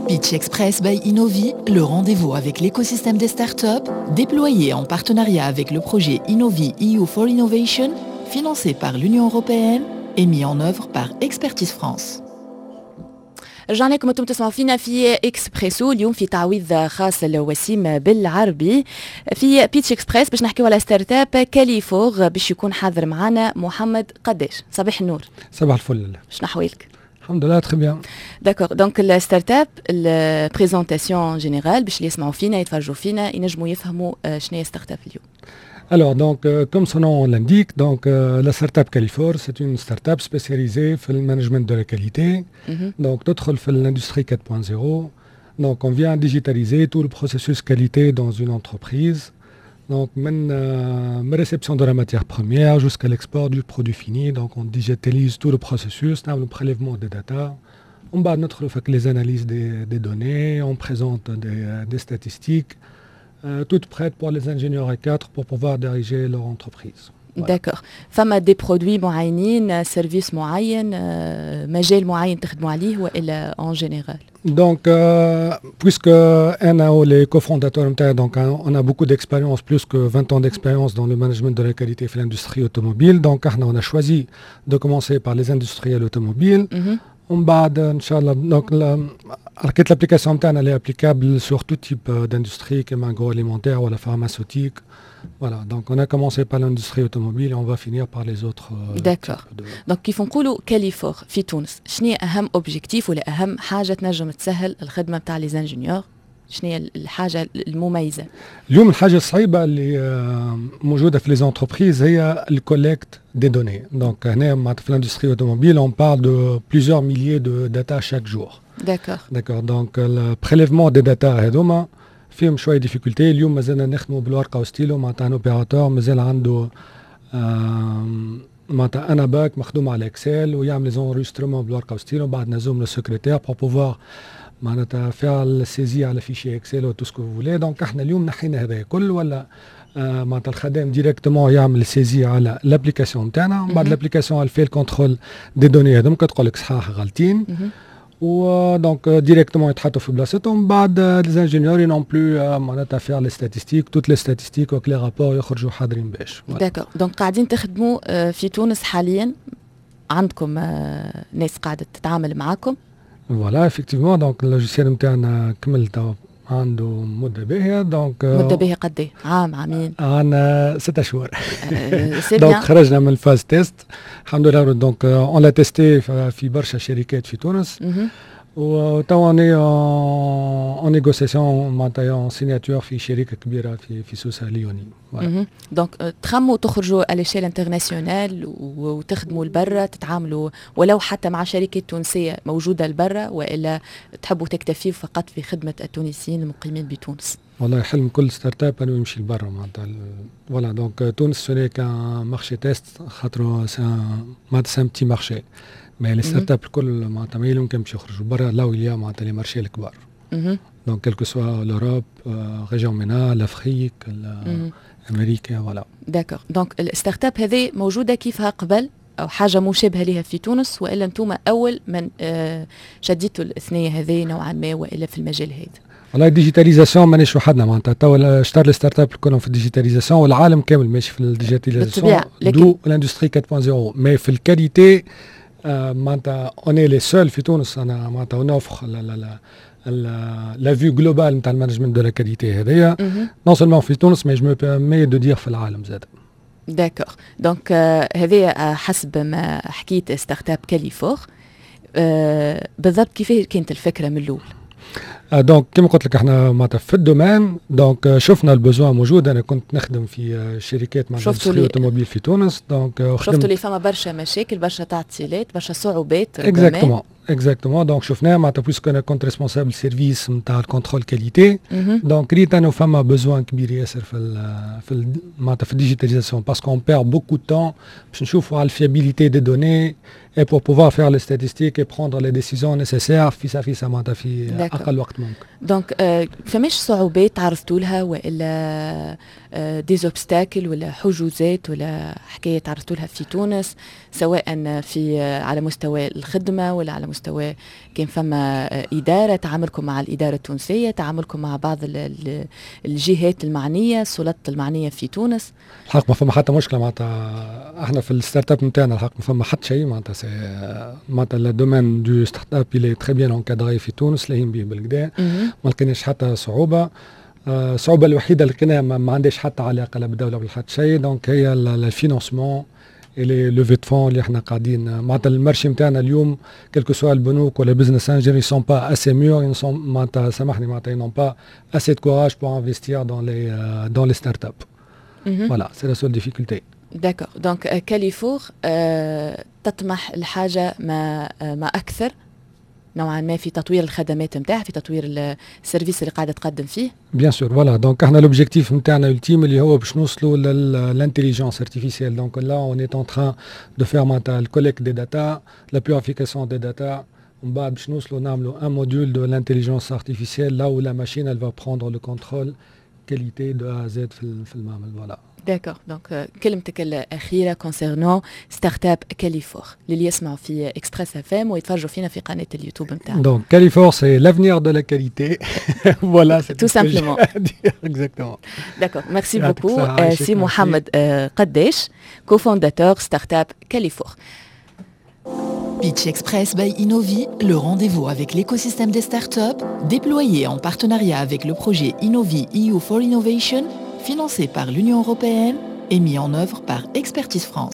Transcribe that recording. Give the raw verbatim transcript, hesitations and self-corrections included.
Pitch Express by Innovi, le rendez-vous avec l'écosystème des startups, déployé en partenariat avec le projet Innovi E U for Innovation, financé par l'Union européenne et mis en œuvre par Expertise France. رجعنا لكم، انتم تسمعوا فينا في اكسبريسو. اليوم في تعويض خاص لوسيم بالعربي في Pitch Express باش نحكيو على startup Qualifor. باش يكون حاضر معنا محمد قداش. صباح النور. صباح الفل. شنو احوالك؟ الحمد لله، très bien. d'accord، donc ال startup، ال présentation générale باش اللي يسمعوا فينا، يتفرجوا فينا، ينجموا يفهموا شنو هي startup اليوم. Alors, donc, euh, comme son nom l'indique, donc, euh, la startup Qualifor, c'est une startup spécialisée dans le management de la qualité. Mm -hmm. Donc, تدخل في l'industrie quatre point zéro. Donc, on vient digitaliser tout le processus qualité dans une entreprise. Donc, من euh, réception de la matière première jusqu'à l'export du produit fini. Donc, on digitalise tout le processus, le prélèvement des data. On va notre fait les analyses des, des données, on présente des, des statistiques, euh, toutes prêtes pour les ingénieurs A quatre pour pouvoir diriger leur entreprise. Voilà. D'accord. فما des produits معينين، service معين، مجال معين تخدموا عليه والا en général؟ Donc, euh, puisque أنا les cofondateurs نتاعي, donc on a beaucoup d'expérience, plus que vingt ans d'expérience dans le management de la qualité في l'industrie automobile. Donc, احنا on a choisi de commencer par les industriels automobiles. Mm -hmm. ومن بعد ان شاء الله donc حكيت l'application نتاعنا elle est applicable sur tout type d'industrie كما agroalimentaire ولا pharmaceutique. Voilà, donc on a commencé par l'industrie automobile et on va finir par les autres. D'accord. Donc كيف نقولوا Qualifor في تونس، شنو اهم objectif ولا اهم حاجة تنجم تسهل الخدمة نتاع les ingénieurs؟ شنو هي الحاجة المميزه؟ اليوم الحاجة الصعيبه اللي موجودة في les entreprises هي ال collecte des données. Donc هنا في l'industrie automobile, on parle de plusieurs milliers de data chaque jour. D'accord. D'accord. Donc le prélèvement des data هذوما فيهم شوية difficultés. اليوم مازلنا نخدموا بالورقة وستيلو، معناتها un opérateur مازال عنده معناتها un abaque مخدوم على Excel ويعمل les enregistrements بالورقة وستيلو، بعد نهزهم لل secrétaire pour pouvoir معناتها faire la saisie على fichier Excel و tout ce que vous voulez. donc احنا اليوم نحينا هذا الكل، ولا آه معناتها الخدام directement يعمل saisie على l'application نتاعنا. بعد l'application elle fait ال contrôle des données هذوك، تقول لك صحاح غالطين، و donc directement يتحطوا في بلاصتهم. بعد les ingénieurs n'ont plus معناتها faire les statistiques، toutes les statistiques و les rapports يخرجوا حاضرين باش. d'accord، donc قاعدين تخدموا في تونس حاليا، عندكم ناس قاعدة تتعامل معاكم؟ voilà، effectivement، donc ال logiciel نتاعنا كمل عنده مدة باهية donc. مدة باهية قد ايه؟ عام، عامين؟ عندنا ستة شهور. donc خرجنا من ال phase test الحمد لله. donc on l'a testé في برشا شركات في تونس، وتوا on est en négociation معناتها en signature في شركة كبيرة في في سوسة ليوني. donc تخموا تخرجوا à l'échelle internationale وتخدموا لبرا، تتعاملوا ولو حتى مع شركات تونسية موجودة لبرا، والا تحبوا تكتفيوا فقط في خدمة التونسيين المقيمين بتونس؟ والله حلم كل startup انه يمشي لبرا معناتها. voilà، donc تونس ce n'est qu'un marché test خاطر معناتها c'est un petit marché، mais les startups الكل معناتها ما يمكن باش يخرجوا برا là où il y a معناتها les marchés الكبار، donc quel que soit l'Europe، région MENA، l'Afrique، امريكا، voilà. d'accord، donc ال startup هذه موجودة كيفها قبل او حاجة مشابهة لها في تونس، والا انتم اول من آه، شديتوا الثنية هذه نوعا ما والا في المجال هذا؟ والله ال digitalisation مانيش وحدنا، معناتها توا شطر les startups كلهم في ال digitalisation والعالم كامل ماشي في ال digitalisation، d'où l'industrie quatre point zéro، mais في ال qualité معناتها on est les seuls في تونس. انا معناتها on offre la la la vue globale نتاع ال management de la qualité هذايا، non seulement في تونس mais je me permets de dire في العالم زاد. d'accord، donc هذه حسب ما حكيت startup Qualifor. بالضبط كيف كانت الفكرة من الاول؟ donc كما قلت لك احنا معناتها في ال domaine، donc شفنا ال besoin موجود. انا كنت نخدم في شركات معناتها automobile في تونس donc. شفتوا اللي فما برشا مشاكل، برشا تعطيلات، برشا صعوبات. exactement exactement donc شفناه معناتها puisque انا كنت responsable service نتاع ال contrôle qualité، donc ريت انه فما besoin كبير ياسر في ال في ال معناتها في ال digitalisation، parce qu'on perd beaucoup de temps باش نشوفوا على ال fiabilité des données et pour pouvoir faire les statistiques et prendre les décisions nécessaires فيسع فيسع، معناتها في اقل وقت ممكن. donc فماش صعوبات تعرضتوا لها والا des obstacles ولا حجوزات ولا حكاية تعرضتوا لها في تونس، سواء في على مستوى الخدمة ولا على مستوى كان فما اداره، تعاملكم مع الادارة التونسيه، تعاملكم مع بعض الجهات المعنيه، السلطات المعنية في تونس؟ الحق ما فما حتى مشكله. معناتها احنا في ال startup نتاعنا الحق ما فما حتى شيء. معناتها c'est معناتها le domaine du startup il est très bien encadré في تونس، لاهين به بالقدا، ما لقيناش حتى صعوبه. الصعوبة الوحيدة اللي لقيناها ما عندهاش حتى علاقة لا بالدولة ولا حتى شيء، donc هي ال financement، les levées de fonds اللي احنا قاعدين. معناتها ال marché نتاعنا اليوم، quel que soit البنوك ولا business angels، sont pas assez mûrs، sont معناتها سامحني معناتها n'ont pas assez de courage pour investir dans les dans les startups. Voilà, c'est la seule difficulté. D'accord. Donc Qualifour تطمح الحاجة ما ما اكثر نوعا ما في تطوير الخدمات نتاعها، في تطوير ال service اللي قاعدة تقدم فيه؟ Bien sûr, voilà. Donc احنا l'objectif نتاعنا ultime اللي هو باش نوصلوا لل intelligence artificielle. Donc là on est en train de faire معناتها ال collecte des data, la purification des data، ومن بعد باش نوصلوا نعملوا un module de l'intelligence artificielle, là où la machine elle va prendre le contrôle qualité de A à Z في في المعمل، voilà. D'accord. Donc كلمتك الاخيرة concernant startup Qualifour للي يسمعوا في Express FM ويتفرجوا فينا في قناة اليوتيوب نتاعنا؟ Donc Qualifour, c'est l'avenir de la qualité. Voilà, c'est tout simplement. Exactement. D'accord, merci beaucoup سي محمد قداش، cofondateur startup Qualifour. Pitch Express by Innovi, le rendez-vous avec l'écosystème des startups, déployé en partenariat avec le projet Innovi E U for Innovation, financé par l'Union européenne et mis en œuvre par Expertise France.